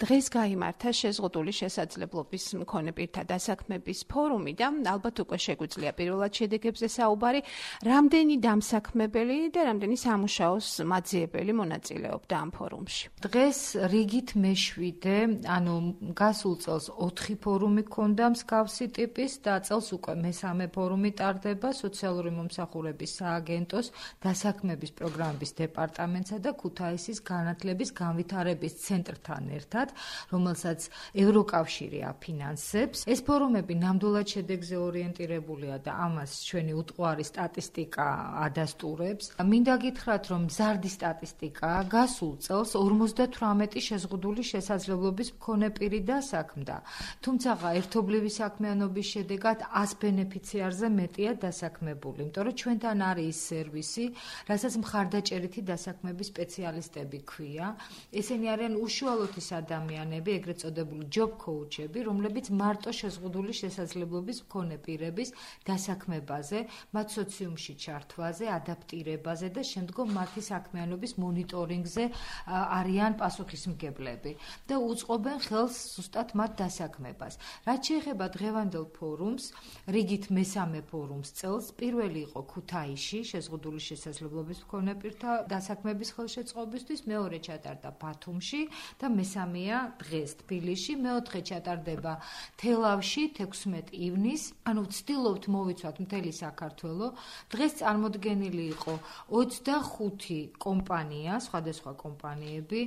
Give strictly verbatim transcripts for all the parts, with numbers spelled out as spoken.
დღეს გაიმართა შეზღუდული შესაძლებლობის მქონე პირთა დასაქმების ფორუმი და ალბათ უკვე შეგვიძლია პირველად შედეგებზე საუბარი, რამდენი დამსაქმებელი და რამდენი სამუშაოს მაძიებელი მონაწილეობდა ამ ფორუმში. დღეს რიგით მეშვიდე, ანუ გასულ წელს ოთხი ფორუმი ქონდა მსგავსი ტიპის და წელს უკვე მესამე ფორუმი ტარდება სოციალური მომსახურების სააგენტოს დასაქმების პროგრამების დეპარტამენტსა და ქუთაისის განათლების განვითარების ცენტრთან ერთად, რომელსაც ევროკავშირი აფინანსებს. ეს ფორუმები ნამდვილად შედეგზე ორიენტირებულია და ამას ჩვენი უტყუარი სტატისტიკა ადასტურებს. მინდა გითხრათ, რომ მზარდი სტატისტიკაა. გასულ წელს ორმოცდათვრამეტი შეზღუდული შესაძლებლობის მქონე პირი დასაქმდა. თუმცა ერთობლივი საქმიანობის შედეგად ას ბენეფიციარზე მეტია დასაქმებული, იმიტომ რომ ჩვენთან არის ის სერვისი, რასაც მხარდაჭერითი დასაქმების სპეციალისტები ქვია. ესენი არიან უშუალოთი ადამიანები, ეგრეთ წოდებული job coach-ები, რომლებიც მარტო შეზღუდული შესაძლებლობის მქონე პირების დასაქმებაზე, მათ სოციუმში ჩართვაზე, ადაპტირებაზე და შემდგომ მათი საქმიანობის მონიტორინგზე არიან პასუხისმგებლები და უწყობენ ხელს ზუსტად მათ დასაქმებას. რაც შეეხება დღევანდელ ფორუმს, რიგით მესამე ფორუმს წელს, პირველი იყო ქუთაისში შეზღუდული შესაძლებლობის მქონე პირთა დასაქმების ხელშეწყობისთვის, მეორე ჩატარდა ბათუმში და მესამეა დღეს თბილისში, მეოთხე ჩატარდება თელავში თექვსმეტი ივნისს, ანუ ვცდილობთ მოვიცვათ მთელი საქართველო. დღეს წარმოდგენილი იყო ოცდახუთი კომპანია, სხვადასხვა კომპანიები,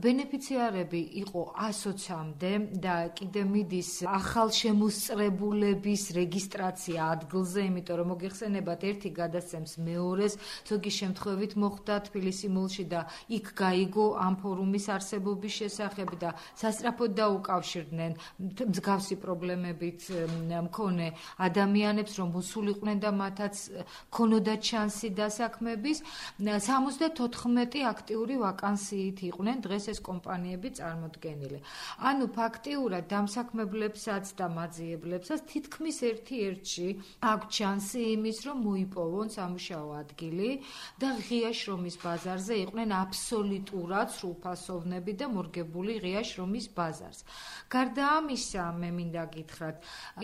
ბენეფიციარები იყო ასოცამდე და კიდე მიდის ახალშემოსწრებულების რეგისტრაცია ადგილზე, იმიტომ რომ მოგეხსენებათ, ერთი გადასცემს მეორეს, ზოგი შემთხვევით მოხდა თბილისი მოლში და იქ გაიგო ამ ფორუმის არსებობის შესახებ და სასწრაფოდ დაუკავშირდნენ მსგავსი პრობლემებით მქონე ადამიანებს, რომ მოსულიყვნენ და მათაც ქონოდათ შანსი დასაქმების. სამოცდათოთხმეტი აქტიური ვაკანსიით იყვნენ დღეს ეს კომპანიები წარმოდგენილი. ანუ ფაქტიურად დამსაქმებლებსაც და მაძიებლებსაც თითქმის ერთ-ერთში აქვს შანსი იმის, რომ მოიპოვონ სამუშაო ადგილი და ღია შრომის ბაზარზე იყვნენ აბსოლუტურად სრულფასოვნები და მორგებული ღია შრომის ბაზარს. გარდა ამისა, მე მინდა გითხრათ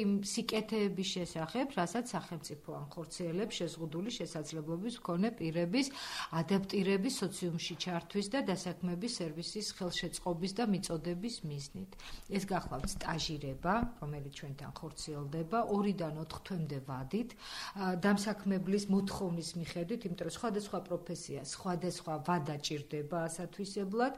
იმ სიკეთეების შესახებ, რასაც სახელმწიფო ახორციელებს შეზღუდული შესაძლებლობის მქონე პირების ადაპტირების, სოციუმში ჩართვის და დასაქმების სერვისის ხელშეწყობის და მიწოდების მიზნით. ეს გახლავთ სტაჟირება, რომელიც ჩვენთან ხორციელდება ორიდან ოთხ თვემდე ვადით, დამსაქმებლის მოთხოვნის მიხედვით, იმიტომ რომ სხვადასხვა პროფესია, სხვადასხვა ვადა ჭირდება ასათვისებლად.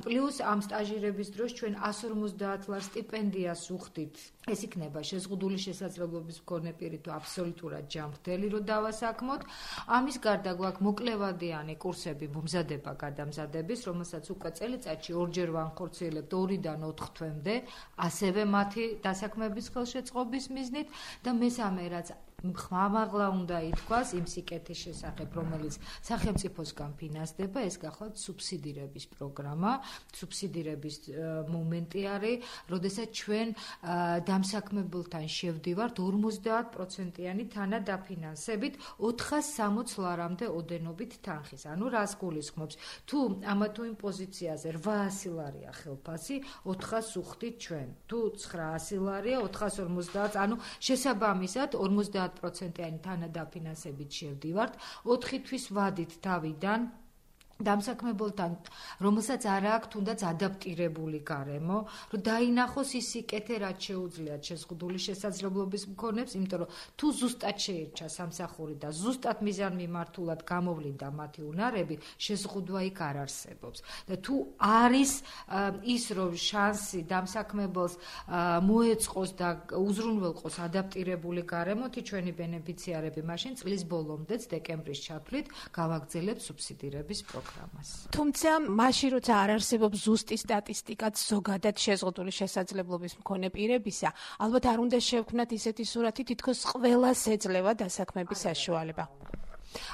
პლუს ამ სტაჟირების დროს ჩვენ ას ორმოცდაათ ლარ სტიპენდიას ვუხდით. ეს იქნება შეზღუდული შესაძლებლობის მქონე პირი თუ აბსოლუტურად ჯანმრთელი რო დავასაქმოთ. ამის გარდა გვაქვს მოკლევადიანი კურსები მომზადება გადამზადების, რომელსაც უკვე წელიწადში ორჯერ ვახორციელებთ ორიდან ოთხ თვემდე, ასევე მათი დასაქმების ხელშეწყობის მიზნით და მესამე რაც ხმამაღლა უნდა ითქვას იმ სიკეთის შესახებ, რომელიც სახელმწიფოსგან ფინანსდება, ეს გახლავთ სუბსიდირების პროგრამა. სუბსიდირების მომენტი არის, როდესაც ჩვენ დამსაქმებელთან შევდივართ ორმოცდაათ პროცენტიანი თანადაფინანსებით ოთხას სამოცდ ლარამდე ოდენობით თანხის. ანუ რას გულისხმობს? თუ ამა თუ იმ პოზიციაზე რვაასი ლარია ხელფასი, ოთხას უხდით ჩვენ. თუ ცხრაასი ლარია, ოთხას ორმოცდაათ, ანუ შესაბამისად ორმოცდაათ პროცენტიანი თანადაფინანსებით შევდივართ, ოთხი თვის ვადით თავიდან დამსაქმებელთან, რომელსაც არ აქვს თუნდაც ადაპტირებული გარემო, რომ დაინახოს ის სიკეთე, რაც შეუძლიათ შეზღუდული შესაძლებლობის მქონეებს, იმიტომ რომ თუ ზუსტად შეირჩა სამსახური და ზუსტად მიზანმიმართულად გამოვლინდა მათი უნარები, შეზღუდვა იქ არ არსებობს. და თუ არის ის, რომ შანსი დამსაქმებელს მოეწყოს და უზრუნველყოს ადაპტირებული გარემოთი, ჩვენი ბენეფიციარები მაშინ წლის ბოლომდეც დეკემბრის ჩათვლით გავაგრძელებთ სუბსიდირების პროგრამას. თუმცა მაშინ როცა არ არსებობს ზუსტი სტატისტიკაც ზოგადად შეზღუდული შესაძლებლობის მქონე პირებისა, ალბათ არ უნდა შევქმნათ ისეთი სურათი, თითქოს ყველას ეძლევა დასაქმების საშუალება.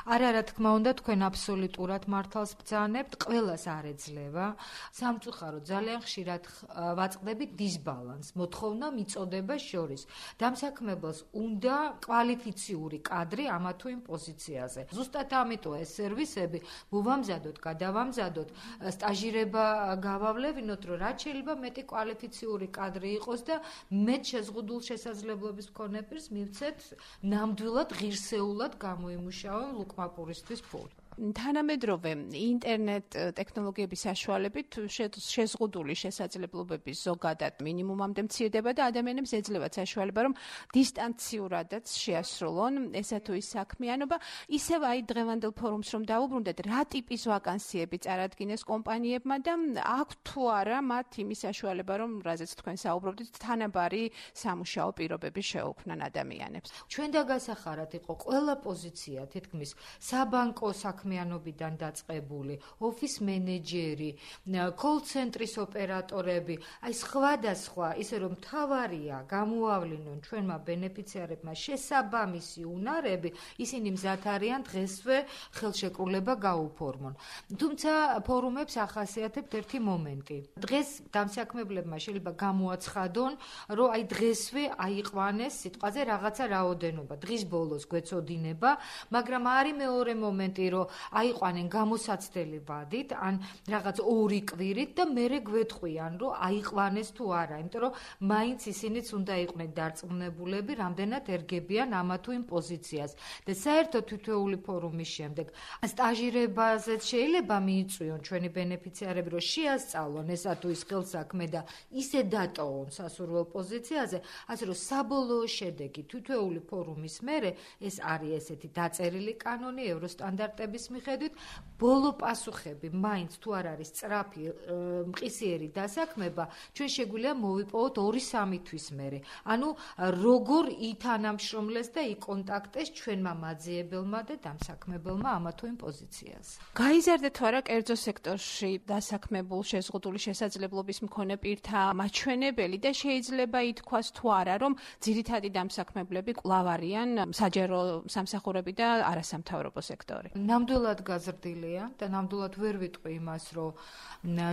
არა, რა თქმა უნდა, თქვენ აბსოლუტურად მართალს ბრძანებთ, ყველას არ ეძლევა. სამწუხაროდ ძალიან ხშირად ვაწყდებით დისბალანსს, მოთხოვნა მიწოდება შორის. დამსაქმებელს უნდა კვალიფიციური კადრი ამა თუ იმ პოზიციაზე. ზუსტად ამიტომ ეს სერვისები მოვამზადოთ, გადავამზადოთ, სტაჟირება გავავლევინოთ, რომ რაც შეიძლება მეტი კვალიფიციური კადრი იყოს და მეტ შეზღუდულ შესაძლებლობის მქონე პირს მივცეთ ნამდვილად ღირსეულად გამოიმუშაონ ლუკმაპურისთვის ფული. თანამედროვე ინტერნეტ ტექნოლოგიების საშუალებით შეზღუდული შესაძლებლობების ზოგადად მინიმუმამდე მცირდება და ადამიანებს ეძლევათ საშუალება, რომ დისტანციურადაც შეასრულონ ესა თუ ის საქმიანობა. ისევ აი დღევანდელ ფორუმს რომ დავუბრუნდეთ, რა ტიპის ვაკანსიები წარადგინეს კომპანიებმა და აქვთ თუ არა მათ იმის საშუალება, რომ რაზეც თქვენ საუბრობდით, თანაბარი სამუშაო პირობები შეუქმნან ადამიანებს. ჩვენ დაგასახარად იყო ყველა პოზიცია თითქმის საბანკო საქმიანობიდან დაწყებული, ოფის მენეჯერი, კოლ-ცენტრის ოპერატორები, აი სხვადასხვა, ისე რომ მთავარია გამოავლინონ ჩვენმა ბენეფიციარებმა შესაბამისი უნარები, ისინი მზად არიან დღესვე ხელშეკრულება გაუფორმონ. თუმცა ფორუმებს ახასიათებთ ერთი მომენტი. დღეს დამსაქმებლებმა შეიძლება გამოაცხადონ, რომ აი დღესვე აიყვანეს სიტყვაზე რაღაცა რაოდენობა. დღის ბოლოს გვეწოდინება, მაგრამ არის მეორე მომენტი, რომ აიყვანენ გამოსაცდელი ვადით, ან რაღაც ორი კვირით და მერე გვეთყვიან, რომ აიყვანეს თუ არა, იმიტომ რომ მაინც ისინიც უნდა იყვნენ დარწმუნებულები, რამდენად ერგებიან ამა თუ იმ პოზიციას. და საერთოდ თითოეული ფორუმის შემდეგ სტაჟირებაზეც შეიძლება მიიწვიონ ჩვენი ბენეფიციარები, რომ შეასწავლონ ესა თუ ის ხელსაქმე და ისე დატოვონ სასურველ პოზიციაზე, ასე რომ საბოლოო შედეგი თითოეული ფორუმის მერე ეს არის ესეთი დაწერილი კანონი ევროსტანდარტების მიხედვით, ბოლო პასუხები მაინც თუ არ არის სწრაფი მყისიერი დასაქმება, ჩვენ შეგვიძლია მოვიპოვოთ ორი სამი თვის მერე. ანუ როგორ ითანამშრომლეს და იკონტაქტეს ჩვენმა მაძიებელმა და დამსაქმებელმა ამა თუ იმ პოზიციაზე. გაიზარდა თუ არა კერძო სექტორში დასაქმებულ შეზღუდული შესაძლებლობის მქონე პირთა მაჩვენებელი და შეიძლება ითქვას თუ არა, რომ ძირითადი დამსაქმებლები კვლავ არიან საჯარო სამსახურები და არასამთავრობო სექტორი. ნამდვილად გაზრდილია და ნამდვილად ვერ ვიტყვი იმას, რომ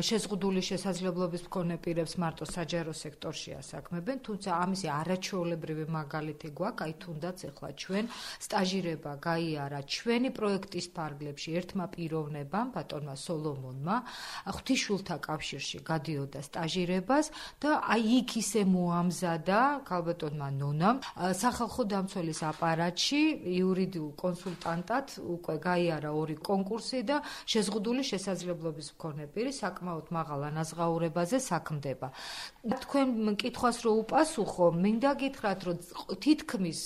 შეზღუდული შესაძლებლობის მქონე პირებს მარტო საჯარო სექტორში ასაქმებენ, თუმცა ამისი არაჩვეულებრივი მაგალითი გვაქვს, აი თუნდაც ეხლა ჩვენ სტაჟირება გაიარა ჩვენი პროექტის ფარგლებში ერთმა პიროვნებამ, ბატონმა სოლომონმა, ღვთისმშვილთა კავშირში გადიოდა სტაჟირებას და აი იქ ისე მოამზადა ქალბატონმა ნონამ სახალხო დამცველის აპარატში იურიდიულ კონსულტანტად უკვე გაიარა ორი კონკურსი და შეზღუდული შესაძლებლობის მქონე პირი საკმაოდ მაღალ ანაზღაურებაზე საქმდება. თქვენ მკითხვას რო უპასუხო, მინდა გითხრათ, რომ თითქმის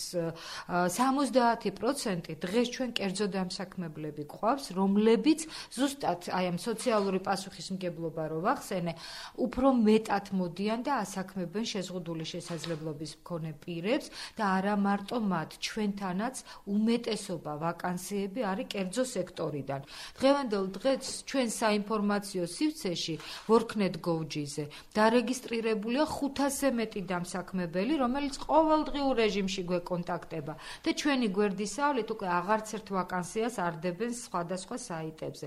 სამოცდაათი პროცენტი დღეს ჩვენ კერძო დამსაქმებლები გვყავს, რომლებიც ზუსტად აი ამ სოციალური პასუხისმგებლობა რო ვახსენე, უფრო მეტად მოდიან და ასაქმებენ შეზღუდული შესაძლებლობის მქონე პირებს და არა მარტო მათ, ჩვენთანაც უმეტესობა ვაკანსიები არის კერძო სექტორიდან. დღევანდელ დღეს ჩვენ საინფორმაციო სივრცეში worknet.gov.ზე დარეგისტრირებულია ხუთასზე მეტი დამსაქმებელი, რომელიც ყოველდღიურ რეჟიმში გვეკონტაქტება და ჩვენი გვერდის სავლით უკვე აღარც ერთ ვაკანსიას არ დებენ სხვადასხვა საიტებზე.